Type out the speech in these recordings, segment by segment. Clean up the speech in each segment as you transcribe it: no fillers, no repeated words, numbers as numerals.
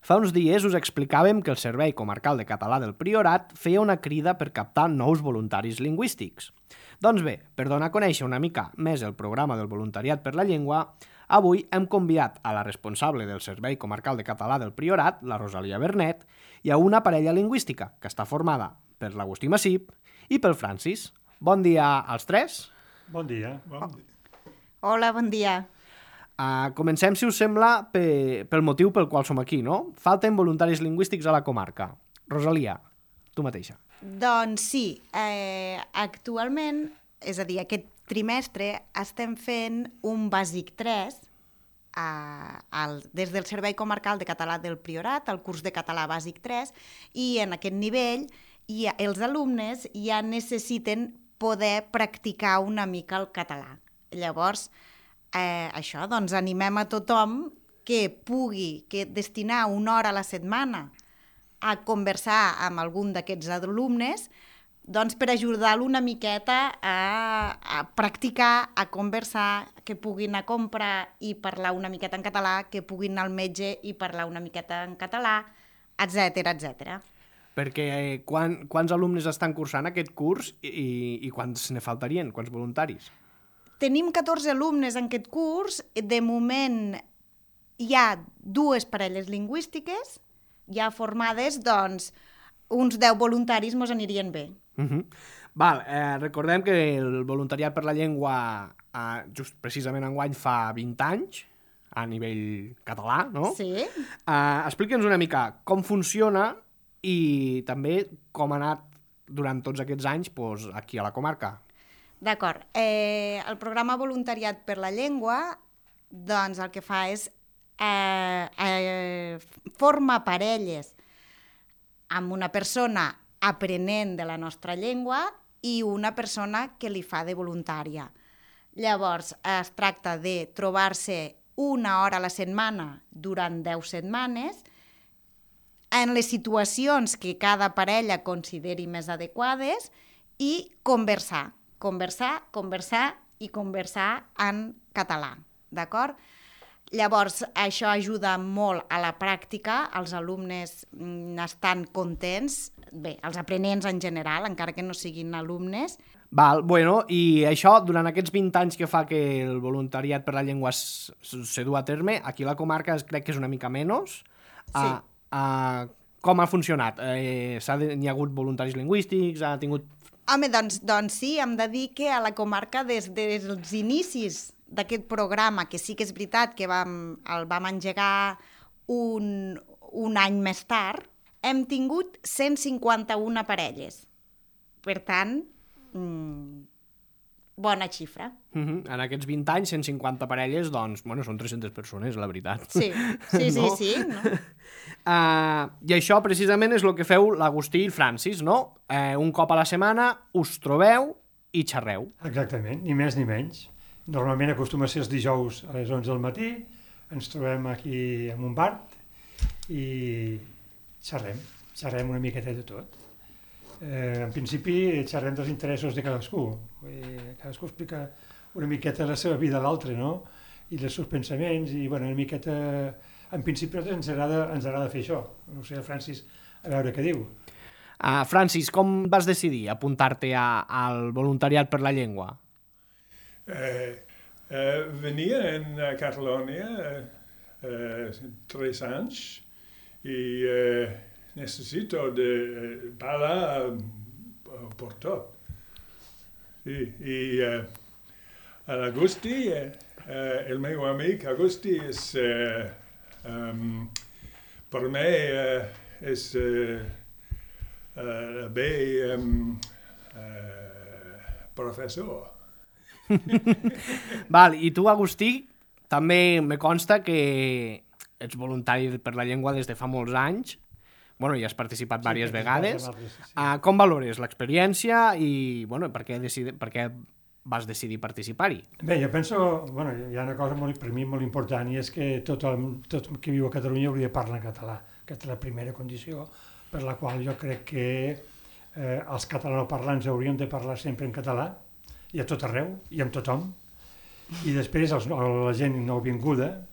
Fa uns dies us explicàvem que el Servei Comarcal de Català del Priorat feia una crida per captar nous voluntaris lingüístics. Doncs bé, per donar a conèixer una mica més el programa del voluntariat per la llengua, avui hem convidat a la responsable del Servei Comarcal de Català del Priorat, la Rosalia Bernet, i a una parella lingüística que està formada per l'Agustí Massip i pel Francis. Bon dia als tres. Bon dia. Hola, bon dia. Comencem, si us sembla, pel motiu pel qual som aquí, no? Falten voluntaris lingüístics a la comarca. Rosalia, tu mateixa. Doncs sí, actualment, és a dir, aquest trimestre estem fent un bàsic 3 des del Servei Comarcal de Català del Priorat, el curs de català bàsic 3, i en aquest nivell els alumnes ja necessiten poder practicar una mica el català. Llavors, això, doncs animem a tothom que pugui destinar una hora a la setmana a conversar amb algun d'aquests alumnes, doncs per ajudar-lo una miqueta a practicar, a conversar, que puguin anar a comprar i parlar una miqueta en català, que puguin anar al metge i parlar una miqueta en català, etcètera, etcètera. Perquè quants alumnes estan cursant aquest curs i quants ne faltarien, quants voluntaris? Tenim 14 alumnes en aquest curs. De moment hi ha 2 parelles lingüístiques ja formades, doncs uns 10 voluntaris mos anirien bé. Recordem que el voluntariat per la llengua just precisament enguany fa 20 anys a nivell català, no? Sí. Explica'ns una mica com funciona i també com ha anat durant tots aquests anys aquí a la comarca. D'acord. El programa Voluntariat per la Llengua, doncs el que fa és forma parelles amb una persona aprenent de la nostra llengua i una persona que li fa de voluntària. Llavors, es tracta de trobar-se una hora a la setmana durant 10 setmanes en les situacions que cada parella consideri més adequades i conversar en català, d'acord? Llavors, això ajuda molt a la pràctica, els alumnes estan contents, bé, els aprenents en general, encara que no siguin alumnes. I això, durant aquests 20 anys que fa que el voluntariat per la llengua se du a terme, aquí a la comarca crec que és una mica menys. Sí. Com ha funcionat? N'hi ha hagut voluntaris lingüístics? Ha tingut... Home, doncs sí, hem de dir que a la comarca des dels inicis d'aquest programa, que sí que és veritat que el vam engegar un any més tard, hem tingut 151 parelles. Per tant, bona xifra. En aquests 20 anys, 150 parelles, doncs, són 300 persones, la veritat. Sí. No? I això precisament és el que feu l'Agustí i el Francis, no? Un cop a la setmana us trobeu i xerreu. Exactament, ni més ni menys. Normalment acostuma a ser els dijous a les 11 del matí, ens trobem aquí en un bar i xerrem una miqueta de tot. En principi xerrem dels interessos de cadascú. Cadascú explica una miqueta la seva vida a l'altre, no? I els seus pensaments, i una miqueta... En principi ens agrada fer això. No sé, Francis, a veure què diu. Francis, com vas decidir apuntar-te al voluntariat per la llengua? Venia en Catalunya 3 anys i necessito de parlar per tot. I l'Agustí, el meu amic Agustí, per mi és bé professor. I tu, Agustí, també me consta que ets voluntari per la llengua des de fa molts anys. I has participat diverses vegades. Com valores l'experiència i per què vas decidir participar-hi? Bé, jo penso, hi ha una cosa per mi molt important, i és que tot qui viu a Catalunya hauria de parlar en català. Aquesta és la primera condició per la qual jo crec que els catalanoparlants haurien de parlar sempre en català, i a tot arreu, i amb tothom. I després la gent nouvinguda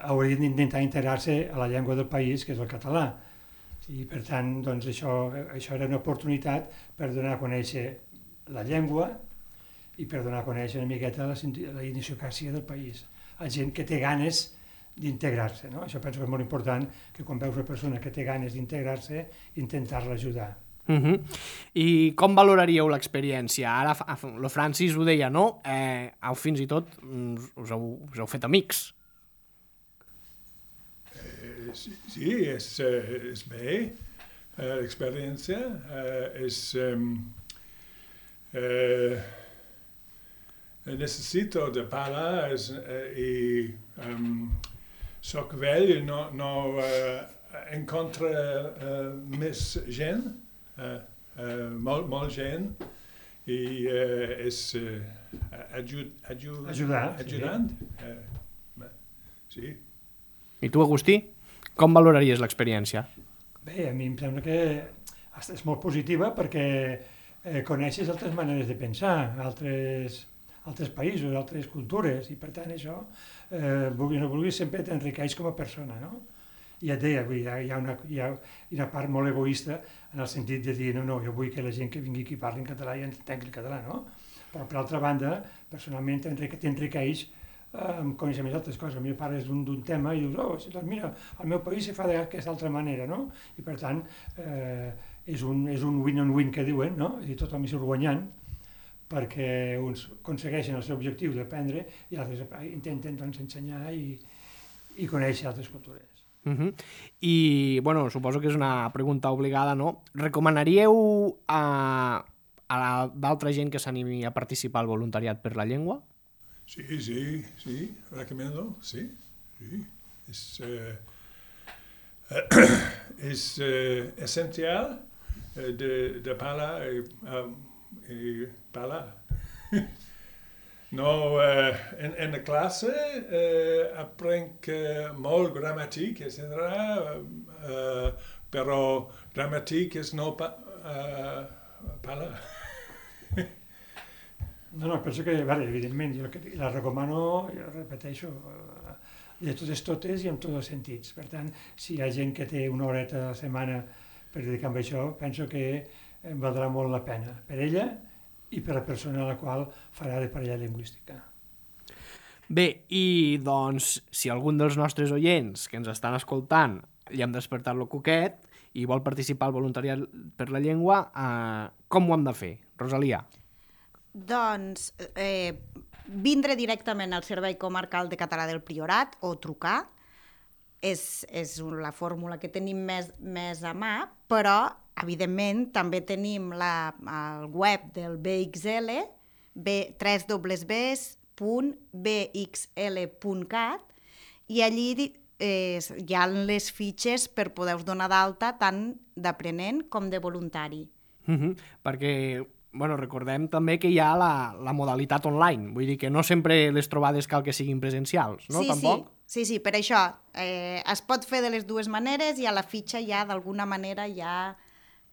haurien d'intentar integrar-se a la llengua del país, que és el català. I per tant, doncs, això era una oportunitat per donar a conèixer la llengua i per donar a conèixer una miqueta la idiosincràsia del país. A gent que té ganes d'integrar-se, no? Això penso que és molt important, que quan veus una persona que té ganes d'integrar-se, intentar-la ajudar. I com valoraríeu l'experiència? Ara el Francis ho deia, no? Fins i tot us heu fet amics. Sí, és bé. L'experiència és... necessito de parlar i soc vell, no encontre més gent, molt gent, i és ajudant. Sí. I tu, Agustí, com valoraries l'experiència? Bé, a mi em sembla que és molt positiva perquè coneixes altres maneres de pensar, altres països, altres cultures, i per tant això, vulguis o no vulguis, sempre t'enriqueix com a persona, no? I et deia, hi ha una part molt egoista en el sentit de dir, no, jo vull que la gent que vingui aquí parli en català i entengui el català, no? Però per altra banda, personalment t'enriqueix amb coneixements d'altres coses. A mi parles d'un tema i dius, doncs mira, al meu país se fa d'aquesta altra manera, no? I per tant, és un win-on-win que diuen, no? És a dir, tothom hi surt guanyant, perquè uns aconsegueixen el seu objectiu d'aprendre i altres intenten doncs, ensenyar i conèixer altres cultures. I, bueno, suposo que és una pregunta obligada, no? Recomanaríeu a d'altra gent que s'animi a participar al voluntariat per la llengua? Sí, recomiendo, sí. Es esencial de parlar y parlar. No, en la clase aprende molt gramática, etc. Però gramática és no parlar. No, penso que, evidentment, jo la recomano, jo repeteixo, de totes i en tots els sentits. Per tant, si hi ha gent que té una horeta a la setmana per dedicar a això, penso que valdrà molt la pena per ella i per la persona a la qual farà de parella lingüística. Bé, i doncs, si algun dels nostres oients que ens estan escoltant li hem despertat el coquet i vol participar al voluntariat per la llengua, com ho hem de fer? Rosalia? Doncs vindre directament al Servei Comarcal de Català del Priorat o trucar és la fórmula que tenim més a mà, però evidentment també tenim el web del BXL, www.bxl.cat, i allí hi ha les fitxes per poder-vos donar d'alta tant d'aprenent com de voluntari. Perquè recordem també que hi ha la modalitat online, vull dir que no sempre les trobades cal que siguin presencials, no? Tampoc? Sí, per això es pot fer de les dues maneres i a la fitxa ja d'alguna manera ja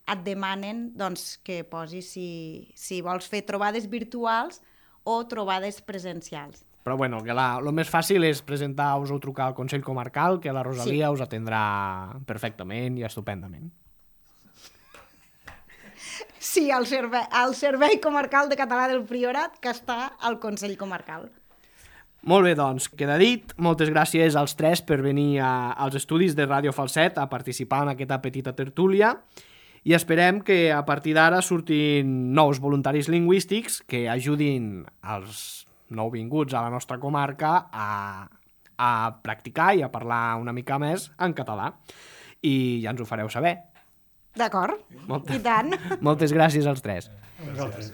et demanen doncs, que posis si vols fer trobades virtuals o trobades presencials. Però que el més fàcil és presentar-vos o trucar al Consell Comarcal, que la Rosalia us atendrà perfectament i estupendament. Sí, al Servei Comarcal de Català del Priorat, que està al Consell Comarcal. Molt bé, doncs, queda dit. Moltes gràcies als tres per venir als estudis de Ràdio Falset a participar en aquesta petita tertúlia i esperem que a partir d'ara surtin nous voluntaris lingüístics que ajudin els nouvinguts a la nostra comarca a practicar i a parlar una mica més en català. I ja ens ho fareu saber. D'acord, i tant. Moltes gràcies als tres. A vosaltres.